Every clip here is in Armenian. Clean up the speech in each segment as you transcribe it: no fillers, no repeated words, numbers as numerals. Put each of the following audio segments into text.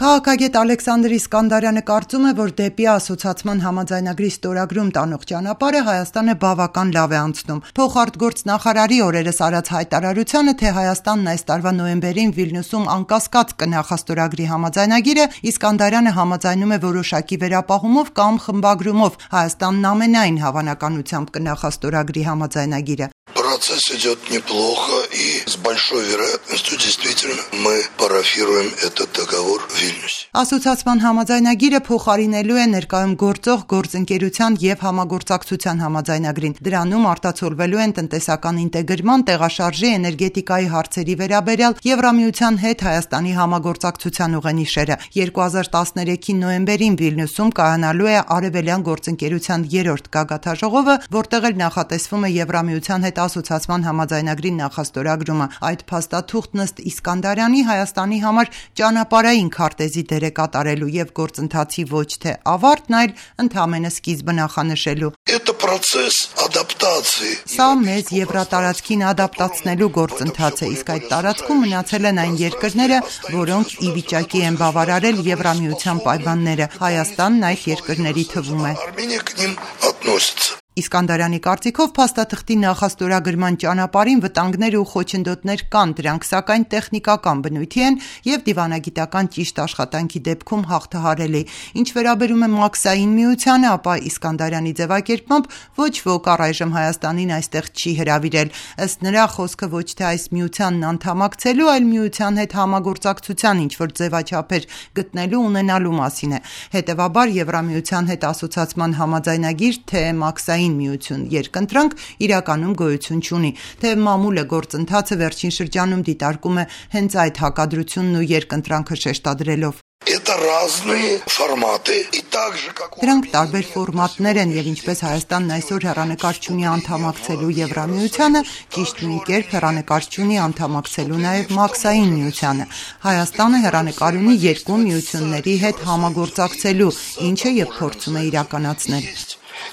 Քաղաքագետ Ալեքսանդր Իսկանդարյանը կարծում է, որ դեպի ասոցիացման համաձայնագրի ստորագրում տանող ճանապարհը Հայաստանը բավական լավ է անցնում։ Փոխարտգործ նախարարի օրերս արած հայտարարությանը, թե Հայաստանն այս տարվա նոյեմբերին Վիլնյուսում անկասկած կնախաստորագրի համաձայնագիրը, Իսկանդարյանը համաձայնում է որոշակի վերապահումով կամ խմբագրումով Հայաստանն ամենայն հավանականությամբ կնախաստորագրի համաձայնագիրը։ Процесс идет неплохо, и с большой вероятностью действительно мы парафируем этот договор в Вильнюсе. Ասոցիացման համաձայնագիրը փոխարինելու է ներկայում գործող գործընկերության եւ համագործակցության համաձայնագրին։ Դրանում արտացոլվելու են տնտեսական ինտեգրման, տեղաշարժի, էներգետիկայի հարցերի վերաբերյալ Եվրամիության հետ Հայաստանի համագործակցության ուղենիշերը։ 2013-ի նոյեմբերին Վիլնյուսում կայանալու է Արևելյան գործընկերության 3-րդ գագաթաժողովը, որտեղ էլ նախատեսվում է Եվրամիության հետ ասոցիացման համաձայնագրի նախաստորագրումը։ Այդ փաստաթուղթն ըստ Իսկանդարյանի Հայաստանի համար ճանապարհային քարտեզի դեր է կատարելու եւ գործընթացի ոչ թե ավարտն, այլ ընդհանրապես սկիզբը նախանշելու։ Это процесс адаптации. Սա մեզ եվրատարածքին ադապտացնելու գործընթաց է, իսկ այդ տարածքում մնացել են այն երկրները, որոնք ի վիճակի են բավարարել Եվրամիության պայմանները։ Հայաստանն այդ երկրների թվում է։ Армения к ним относится. Իսկանդարյանի կարծիքով փաստաթղթի նախաստորագրման ճանապարհին վտանգներ ու խոչընդոտներ կան, դրանք սակայն տեխնիկական բնույթի են եւ դիվանագիտական ճիշտ աշխատանքի դեպքում հաղթահարելի։ Ինչ վերաբերում է մաքսային միությանը, ապա Իսկանդարյանի ձևակերպմամբ ոչ ոք առայժմ Հայաստանին այստեղ չի հրավիրել։ Ըստ նրա, խոսքը ոչ թե այս միությանն անդամակցելու, այլ միության հետ համագործակցության ինչ-որ ձևաչափեր գտնելու ունենալու մասին է։ Հետևաբար Եվրամիության հետ ասոցիացման համաձայնագիր, թե մաքսային միություն երկընտրանք իրականում գոյություն չունի, թե մամուլը գործընթացը վերջին շրջանում դիտարկում է հենց այդ հակադրությունն ու երկընտրանքը շեշտադրելով։ Это разные форматы, и так же как Դրանք տարբեր ֆորմատներ են եւ ինչպես Հայաստանն այսօր հեռանկար չունի անդամակցելու Եվրամիությանը, ճիշտ նույն կերպ հեռանկար չունի անդամակցելու նաեւ մաքսային միությանը։ Հայաստանը հեռանկար ունի երկու միությունների հետ համագործակցելու, ինչը եւ փորձում է իրականացնել։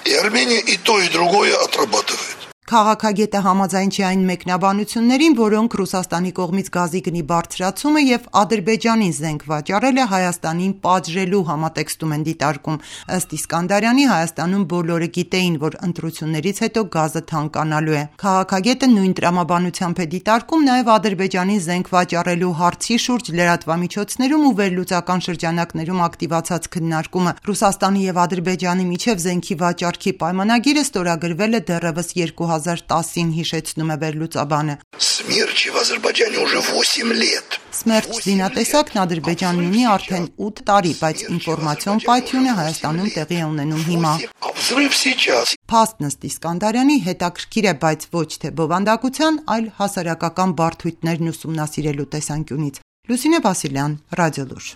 И Армения и то, и другое отрабатывает. Քաղաքագետը համաձայն չի այն մեկնաբանություններին, որոնք Ռուսաստանի կողմից գազի գնի բարձրացումը եւ Ադրբեջանին զենք վաճառելը Հայաստանին պատժելու համատեքստում են դիտարկում։ Ըստ Իսկանդարյանի, Հայաստանում բոլորը գիտեին, որ ընտրություններից հետո գազը թանկանալու է։ Քաղաքագետը նույն տրամաբանությամբ է դիտարկում նաեւ Ադրբեջանին զենք վաճառելու հարցի շուրջ լրատվամիջոցներում ու վերլուծական շրջանակներում ակտիվացած քննարկումը։ Ռուսաստանի եւ Ադրբեջանի միջև զենքի վաճառքի պայմանագիրը ստորագրվել է դեռևս 2010-ին, հիշեցնում է վերլուծաբանը։ Смерч в Азербайджане уже 8 лет. Սմերջ զինատեսակն Ադրբեջանն ունի արդեն 8 տարի, բայց ինֆորմացիոն պայթյունը Հայաստանում տեղի է ունենում հիմա։ А взрыв сейчас. Փաստն ըստ Իսկանդարյանի հետաքրքիր է, բայց ոչ թե բովանդակության, այլ հասարակական բարդույթներն ուսումնասիրելու տեսանկյունից։ Լուսինե Վասիլյան, Ռադիոլուր։